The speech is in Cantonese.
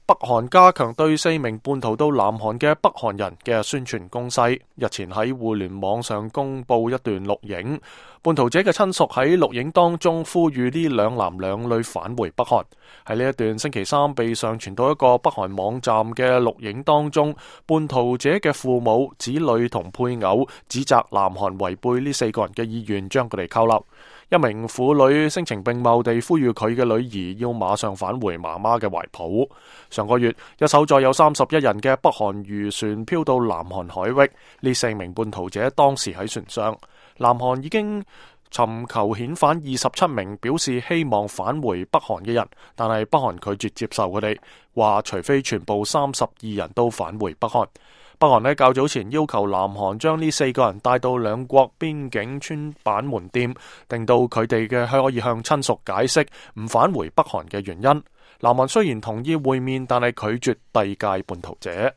北韓加強對4名叛逃到南韓嘅北韓人嘅宣傳攻勢。日前喺互聯網上公布一段錄影，叛逃者嘅親屬喺錄影當中呼籲呢兩男兩女返回北韓。喺呢一段星期三被上傳到一個北韓網站嘅錄影當中，叛逃者嘅父母、子女同配偶指責南韓違背呢4個人嘅意願，將佢哋扣留。一名婦女聲情並茂地呼籲佢嘅女兒要馬上返回媽媽嘅懷抱。上個月，一艘載有31人嘅北韓漁船飄到南韓海域，呢4名叛逃者當時喺船上。南韓已經尋求遣返27名表示希望返回北韓嘅人，但係北韓拒絕接受佢哋，話除非全部32人都返回北韓。北韓呢較早前要求南韓將呢4個人帶到兩國邊境村板門店，令到佢哋可以向親屬解釋唔返回北韓嘅原因。南韓雖然同意會面，但係拒絕遞解叛逃者。